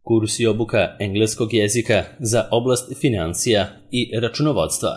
Kurs i obuka engleskog jezika za oblast financija i računovodstva.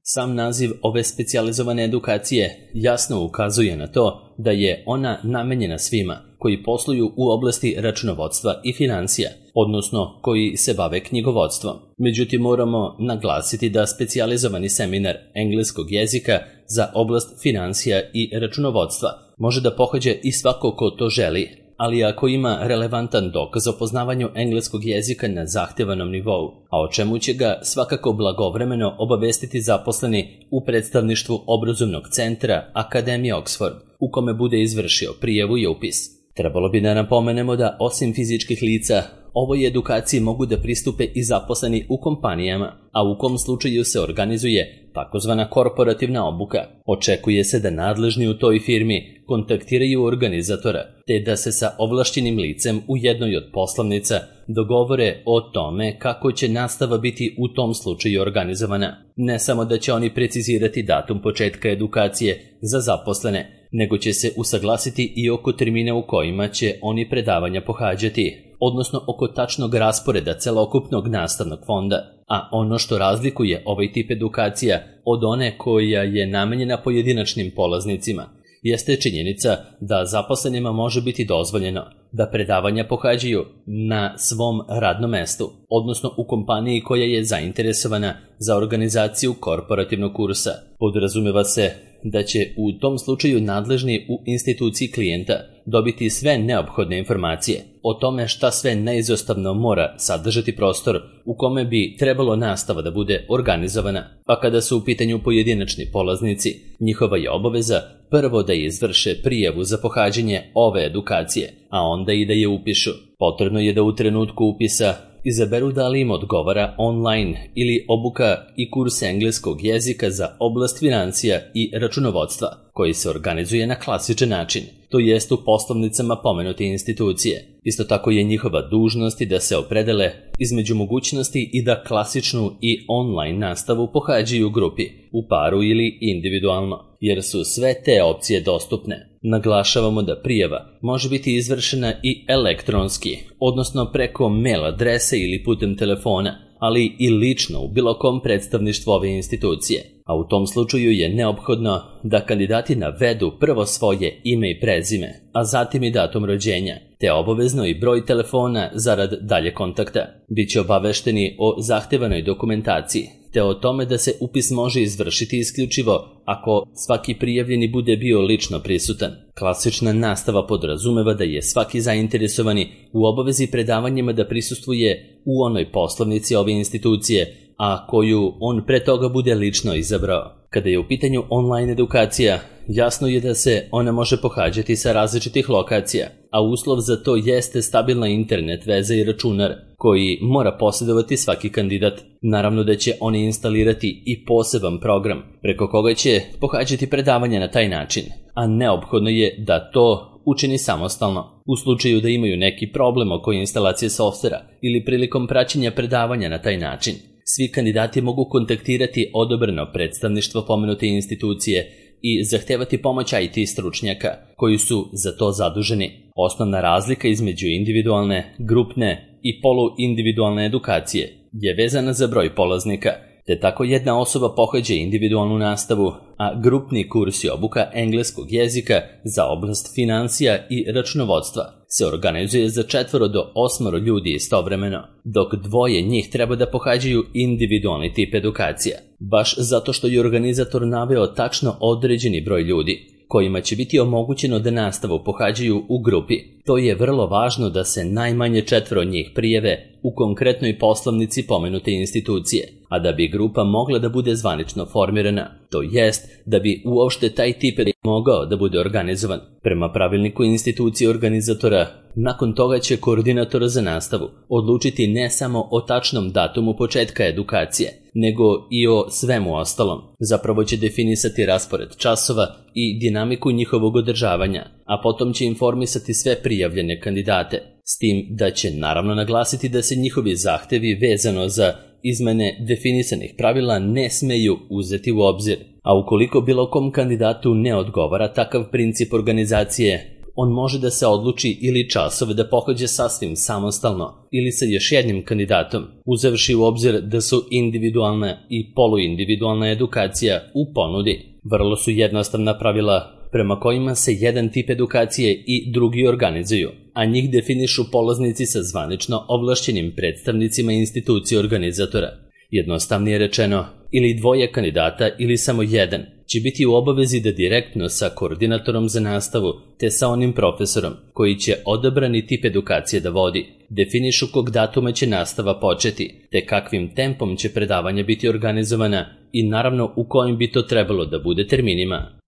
Sam naziv ove specijalizovane edukacije jasno ukazuje na to da je ona namenjena svima koji posluju u oblasti računovodstva i financija, odnosno koji se bave knjigovodstvom. Međutim, moramo naglasiti da specijalizovani seminar engleskog jezika za oblast financija i računovodstva može da pohađa i svako ko to želi, ali ako ima relevantan dokaz o poznavanju engleskog jezika na zahtevanom nivou, a o čemu će ga svakako blagovremeno obavestiti zaposleni u predstavništvu obrazovnog centra Akademije Oxford, u kome bude izvršio prijavu i upis. Trebalo bi da napomenemo da osim fizičkih lica, ovoj edukaciji mogu da pristupe i zaposleni u kompanijama, a u kom slučaju se organizuje takozvana korporativna obuka. Očekuje se da nadležni u toj firmi kontaktiraju organizatora, te da se sa ovlašćenim licem u jednoj od poslovnica dogovore o tome kako će nastava biti u tom slučaju organizovana. Ne samo da će oni precizirati datum početka edukacije za zaposlene, nego će se usaglasiti i oko termina u kojima će oni predavanja pohađati, odnosno oko tačnog rasporeda celokupnog nastavnog fonda. A ono što razlikuje ovaj tip edukacija od one koja je namenjena pojedinačnim polaznicima jeste činjenica da zaposlenima može biti dozvoljeno da predavanja pohađaju na svom radnom mestu, odnosno u kompaniji koja je zainteresovana za organizaciju korporativnog kursa. Podrazumeva se da će u tom slučaju nadležni u instituciji klijenta dobiti sve neophodne informacije o tome šta sve neizostavno mora sadržati prostor u kome bi trebalo nastava da bude organizovana, pa kada su u pitanju pojedinačni polaznici, njihova je obaveza prvo da izvrše prijavu za pohađanje ove edukacije, a onda i da je upišu. Potrebno je da u trenutku upisa izaberu da li im odgovara online ili obuka i kurs engleskog jezika za oblast financija i računovodstva, koji se organizuje na klasičan način, to jest u poslovnicama pomenute institucije. Isto tako je njihova dužnost da se opredele između mogućnosti i da klasičnu i online nastavu pohađaju u grupi, u paru ili individualno, jer su sve te opcije dostupne. Naglašavamo da prijava može biti izvršena i elektronski, odnosno preko mail adrese ili putem telefona, ali i lično u bilo kom predstavništvu ove institucije. A u tom slučaju je neophodno da kandidati navedu prvo svoje ime i prezime, a zatim i datum rođenja, te obavezno i broj telefona zarad dalje kontakta. Biće obavešteni o zahtevanoj dokumentaciji, te o tome da se upis može izvršiti isključivo ako svaki prijavljeni bude bio lično prisutan. Klasična nastava podrazumeva da je svaki zainteresovani u obavezi predavanjima da prisustvuje u onoj poslovnici ove institucije, a koju on pre toga bude lično izabrao. Kada je u pitanju online edukacija, jasno je da se ona može pohađati sa različitih lokacija, a uslov za to jeste stabilna internet veza i računar koji mora posjedovati svaki kandidat. Naravno da će oni instalirati i poseban program preko koga će pohađati predavanja na taj način, a neophodno je da to učini samostalno. U slučaju da imaju neki problem oko instalacije softvera ili prilikom praćenja predavanja na taj način, svi kandidati mogu kontaktirati odobreno predstavništvo pomenute institucije i zahtevati pomoć IT stručnjaka koji su za to zaduženi. Osnovna razlika između individualne, grupne i poluindividualne edukacije je vezana za broj polaznika, te tako jedna osoba pohađa individualnu nastavu, a grupni kurs i obuka engleskog jezika za oblast financija i računovodstva se organizuje za 4 do 8 ljudi istovremeno, dok 2 njih treba da pohađaju individualni tip edukacija, baš zato što je organizator naveo tačno određeni broj ljudi kojima će biti omogućeno da nastavu pohađaju u grupi. To je vrlo važno da se najmanje 4 njih prijave u konkretnoj poslovnici pomenute institucije, a da bi grupa mogla da bude zvanično formirana, to jest da bi uopšte taj tip mogao da bude organizovan. Prema pravilniku institucije organizatora, nakon toga će koordinator za nastavu odlučiti ne samo o tačnom datumu početka edukacije, nego i o svemu ostalom. Zapravo će definisati raspored časova i dinamiku njihovog održavanja, a potom će informisati sve prijavljene kandidate, s tim da će naravno naglasiti da se njihovi zahtevi vezano za izmene definisanih pravila ne smeju uzeti u obzir, a ukoliko bilo kom kandidatu ne odgovara takav princip organizacije, On može da se odluči ili časove da pohađa sasvim samostalno ili sa još jednim kandidatom, uzevši u obzir da su individualna i poluindividualna edukacija u ponudi. Vrlo su jednostavna pravila prema kojima se jedan tip edukacije i drugi organizuju, a njih definišu polaznici sa zvanično ovlašćenim predstavnicima institucije organizatora. Jednostavnije rečeno, ili dvoje kandidata ili samo jedan će biti u obavezi da direktno sa koordinatorom za nastavu te sa onim profesorom koji će odabrani tip edukacije da vodi, definišu kog datuma će nastava početi, te kakvim tempom će predavanja biti organizovana i naravno u kojim bi to trebalo da bude terminima.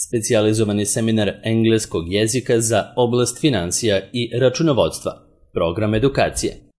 Specijalizovani seminar engleskog jezika za oblast finansija i računovodstva, program edukacije.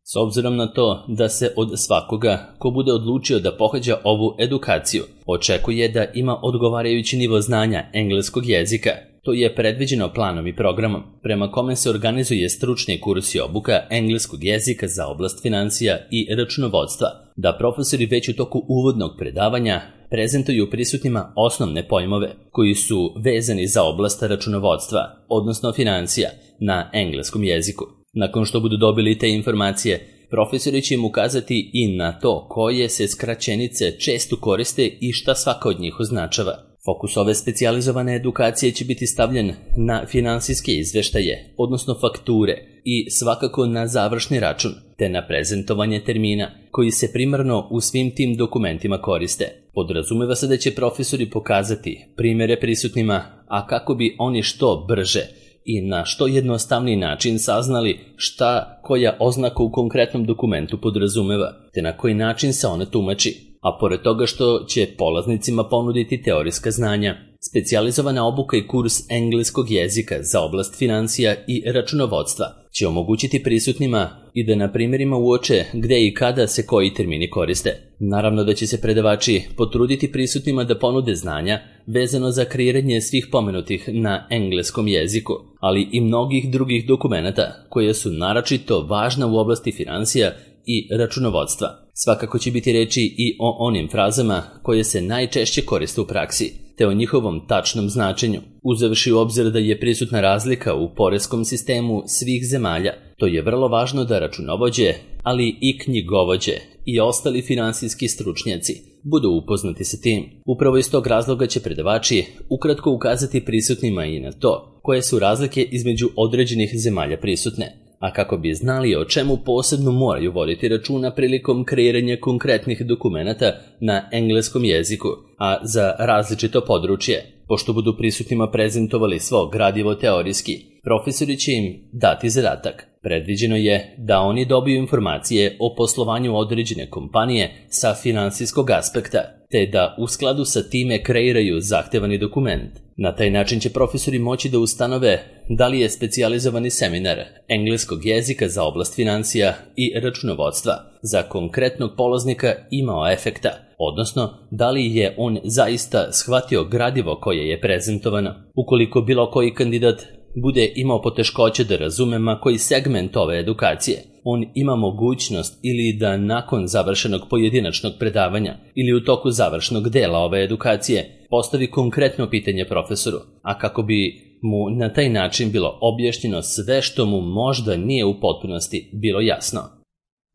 S obzirom na to da se od svakoga ko bude odlučio da pohađa ovu edukaciju očekuje da ima odgovarajući nivo znanja engleskog jezika, to je predviđeno planom i programom prema kome se organizuje stručni kurs i obuka engleskog jezika za oblast finansija i računovodstva, da profesori već u toku uvodnog predavanja prezentuju prisutnima osnovne pojmove koji su vezani za oblast računovodstva, odnosno financija, na engleskom jeziku. Nakon što budu dobili te informacije, profesori će im ukazati i na to koje se skraćenice često koriste i šta svaka od njih označava. Fokus ove specijalizovane edukacije će biti stavljen na finansijske izveštaje, odnosno fakture, i svakako na završni račun, te na prezentovanje termina, koji se primarno u svim tim dokumentima koriste. Podrazumeva se da će profesori pokazati primjere prisutnima, a kako bi oni što brže i na što jednostavniji način saznali šta koja oznaka u konkretnom dokumentu podrazumeva, te na koji način se ona tumači. A pored toga što će polaznicima ponuditi teorijska znanja, specijalizovana obuka i kurs engleskog jezika za oblast financija i računovodstva će omogućiti prisutnima i da na primjerima uoče gde i kada se koji termini koriste. Naravno da će se predavači potruditi prisutnima da ponude znanja vezano za kreiranje svih pomenutih na engleskom jeziku, ali i mnogih drugih dokumenata koje su naročito važna u oblasti finansija i računovodstva. Svakako će biti reči i o onim frazama koje se najčešće koriste u praksi, te o njihovom tačnom značenju, uzevši u obzir da je prisutna razlika u poreskom sistemu svih zemalja. To je vrlo važno da računovođe, ali i knjigovođe i ostali finansijski stručnjaci budu upoznati sa tim. Upravo iz tog razloga će predavači ukratko ukazati prisutnima i na to koje su razlike između određenih zemalja prisutne, a kako bi znali o čemu posebno moraju voditi računa prilikom kreiranja konkretnih dokumenata na engleskom jeziku, a za različito područje. Pošto budu prisutnima prezentovali svo gradivo teorijski, profesori će im dati zadatak. Predviđeno je da oni dobiju informacije o poslovanju određene kompanije sa finansijskog aspekta, te da u skladu sa time kreiraju zahtevani dokument. Na taj način će profesori moći da ustanove da li je specijalizovani seminar engleskog jezika za oblast financija i računovodstva za konkretnog polaznika imao efekta, odnosno da li je on zaista shvatio gradivo koje je prezentovano. Ukoliko bilo koji kandidat bude imao poteškoće da razume ma koji segment ove edukacije, on ima mogućnost ili da nakon završenog pojedinačnog predavanja ili u toku završnog dela ove edukacije postavi konkretno pitanje profesoru, a kako bi mu na taj način bilo objašnjeno sve što mu možda nije u potpunosti bilo jasno.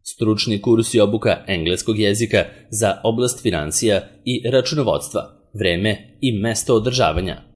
Stručni kurs i obuka engleskog jezika za oblast financija i računovodstva, vreme i mesto održavanja.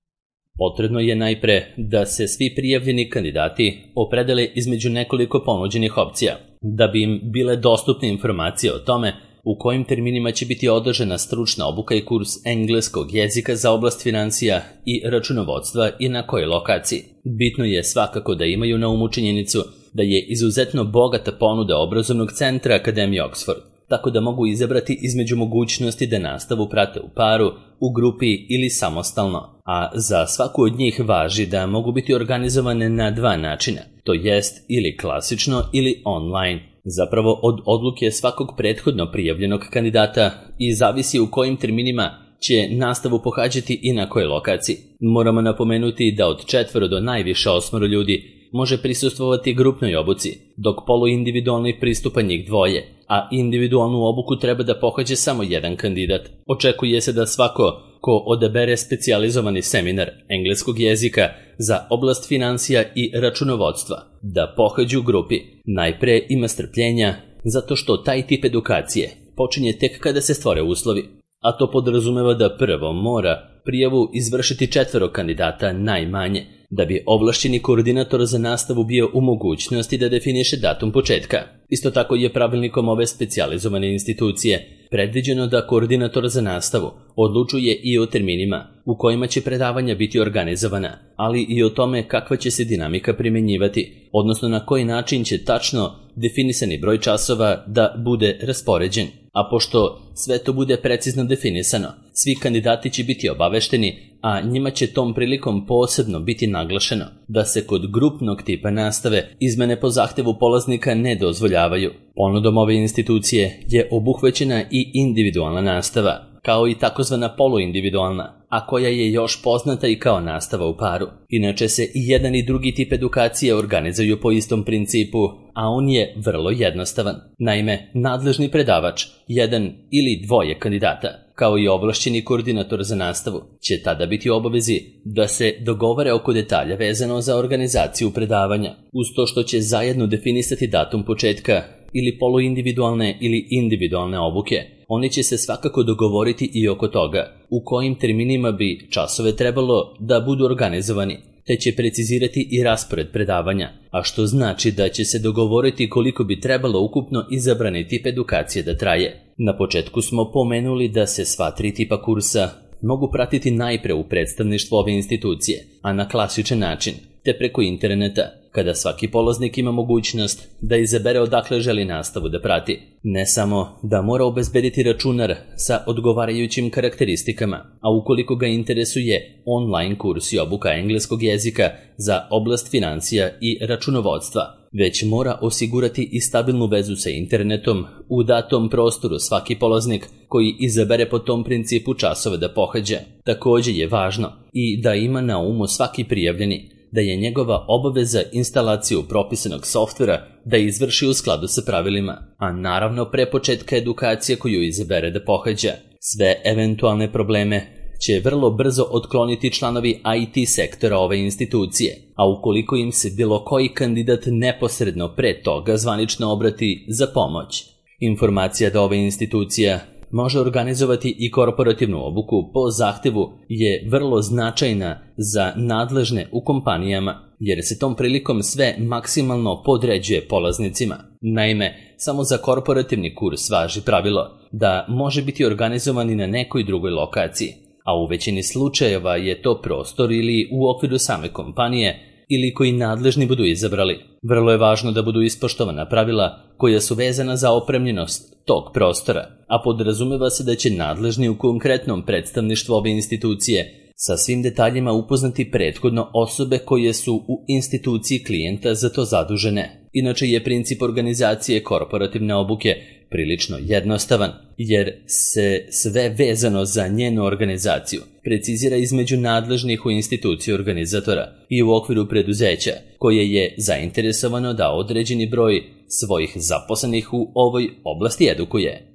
Potrebno je najpre da se svi prijavljeni kandidati opredele između nekoliko ponuđenih opcija, da bi im bile dostupne informacije o tome u kojim terminima će biti održana stručna obuka i kurs engleskog jezika za oblast financija i računovodstva i na kojoj lokaciji. Bitno je svakako da imaju na umu činjenicu da je izuzetno bogata ponuda obrazovnog centra Akademije Oxford, tako da mogu izabrati između mogućnosti da nastavu prate u paru, u grupi ili samostalno, a za svaku od njih važi da mogu biti organizovane na dva načina, to jest ili klasično ili online. Zapravo od odluke svakog prethodno prijavljenog kandidata i zavisi u kojim terminima će nastavu pohađati i na kojoj lokaciji. Moramo napomenuti da od 4 do najviše 8 ljudi može prisustvovati grupnoj obuci, dok poluindividualni pristupa njih 2, a individualnu obuku treba da pohađe samo jedan kandidat. Očekuje se da svako ko odabere specijalizovani seminar engleskog jezika za oblast financija i računovodstva da pohađu u grupi, najpre ima strpljenja zato što taj tip edukacije počinje tek kada se stvore uslovi, a to podrazumeva da prvo mora prijavu izvršiti 4 kandidata najmanje, da bi ovlašćeni koordinator za nastavu bio u mogućnosti da definiše datum početka. Isto tako je pravilnikom ove specijalizovane institucije predviđeno da koordinator za nastavu odlučuje i o terminima u kojima će predavanja biti organizovana, ali i o tome kakva će se dinamika primjenjivati, odnosno na koji način će tačno definisani broj časova da bude raspoređen. A pošto sve to bude precizno definisano, svi kandidati će biti obavešteni, a njima će tom prilikom posebno biti naglašeno da se kod grupnog tipa nastave izmene po zahtevu polaznika ne dozvoljavaju. Ponudom ove institucije je obuhvaćena i individualna nastava, kao i takozvana poluindividualna, a koja je još poznata i kao nastava u paru. Inače se i jedan i drugi tip edukacije organizuju po istom principu, a on je vrlo jednostavan. Naime, nadležni predavač, jedan ili dvoje kandidata, kao i ovlašćeni koordinator za nastavu, će tada biti u obavezi da se dogovore oko detalja vezano za organizaciju predavanja, uz to što će zajedno definisati datum početka ili poluindividualne ili individualne obuke. Oni će se svakako dogovoriti i oko toga u kojim terminima bi časove trebalo da budu organizovani, te će precizirati i raspored predavanja, a što znači da će se dogovoriti koliko bi trebalo ukupno izabrani tip edukacije da traje. Na početku smo pomenuli da se sva 3 tipa kursa mogu pratiti najpre u predstavništvu ove institucije, a na klasičan način, te preko interneta, kada svaki polaznik ima mogućnost da izabere odakle želi nastavu da prati. Ne samo da mora obezbediti računar sa odgovarajućim karakteristikama, a ukoliko ga interesuje online kurs i obuka engleskog jezika za oblast financija i računovodstva, već mora osigurati i stabilnu vezu sa internetom u datom prostoru svaki polaznik koji izabere po tom principu časove da pohađa. Također je važno i da ima na umu svaki prijavljeni da je njegova obaveza instalaciju propisanog softvera da izvrši u skladu sa pravilima, a naravno pre početka edukacije koju izabere da pohađa. Sve eventualne probleme će vrlo brzo otkloniti članovi IT sektora ove institucije, a ukoliko im se bilo koji kandidat neposredno pre toga zvanično obrati za pomoć. Informacija da ova institucija može organizovati i korporativnu obuku po zahtevu je vrlo značajna za nadležne u kompanijama, jer se tom prilikom sve maksimalno podređuje polaznicima. Naime, samo za korporativni kurs važi pravilo da može biti organizovan i na nekoj drugoj lokaciji, a u većini slučajeva je to prostor ili u okviru same kompanije ili koji nadležni budu izabrali. Vrlo je važno da budu ispoštovana pravila koja su vezana za opremljenost tog prostora, a podrazumeva se da će nadležni u konkretnom predstavništvu ove institucije sa svim detaljima upoznati prethodno osobe koje su u instituciji klijenta za to zadužene. Inače je princip organizacije korporativne obuke prilično jednostavan, jer se sve vezano za njenu organizaciju precizira između nadležnih u instituciji organizatora i u okviru preduzeća, koje je zainteresovano da određeni broj svojih zaposlenih u ovoj oblasti edukuje.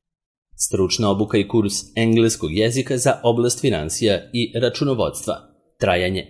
Stručna obuka i kurs engleskog jezika za oblast financija i računovodstva. Trajanje.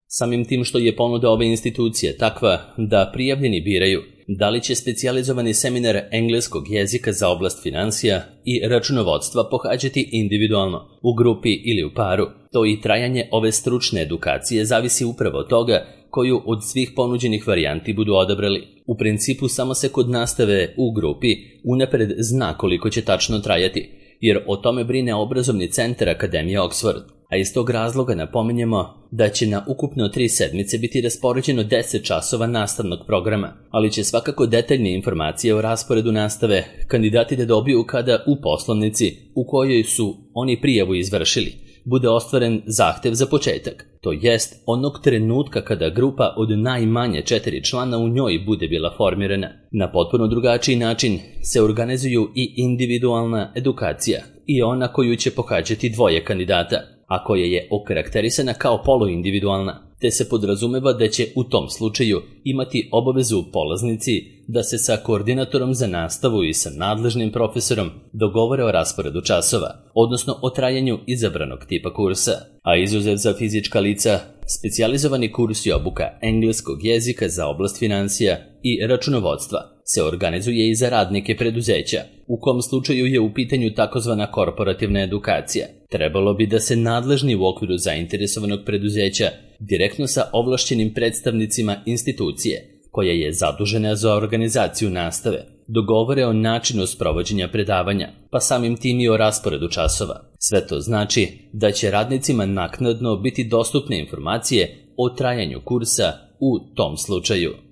Samim tim što je ponuda ove institucije takva da prijavljeni biraju da li će specijalizovani seminar engleskog jezika za oblast financija i računovodstva pohađati individualno, u grupi ili u paru, to i trajanje ove stručne edukacije zavisi upravo od toga koju od svih ponuđenih varijanti budu odabrali. U principu samo se kod nastave u grupi unapred zna koliko će tačno trajati, jer o tome brine obrazovni centar Akademije Oxford, a iz tog razloga napominjemo da će na ukupno 3 sedmice biti raspoređeno 10 časova nastavnog programa, ali će svakako detaljne informacije o rasporedu nastave kandidati da dobiju kada u poslovnici u kojoj su oni prijavu izvršili bude ostvaren zahtev za početak, to jest onog trenutka kada grupa od najmanje 4 člana u njoj bude bila formirana. Na potpuno drugačiji način se organizuju i individualna edukacija i ona koju će pohađati 2 kandidata, a koja je okarakterisana kao poluindividualna. te se podrazumeva da će u tom slučaju imati obavezu polaznici da se sa koordinatorom za nastavu i sa nadležnim profesorom dogovore o rasporedu časova, odnosno o trajanju izabranog tipa kursa, a izuzev za fizička lica, specijalizovani kurs i obuka engleskog jezika za oblast financija i računovodstva se organizuje i za radnike preduzeća, u kom slučaju je u pitanju takozvana korporativna edukacija. Trebalo bi da se nadležni u okviru zainteresovanog preduzeća direktno sa ovlašćenim predstavnicima institucije, koja je zadužena za organizaciju nastave, dogovore o načinu sprovođenja predavanja, pa samim tim i o rasporedu časova. Sve to znači da će radnicima naknadno biti dostupne informacije o trajanju kursa u tom slučaju.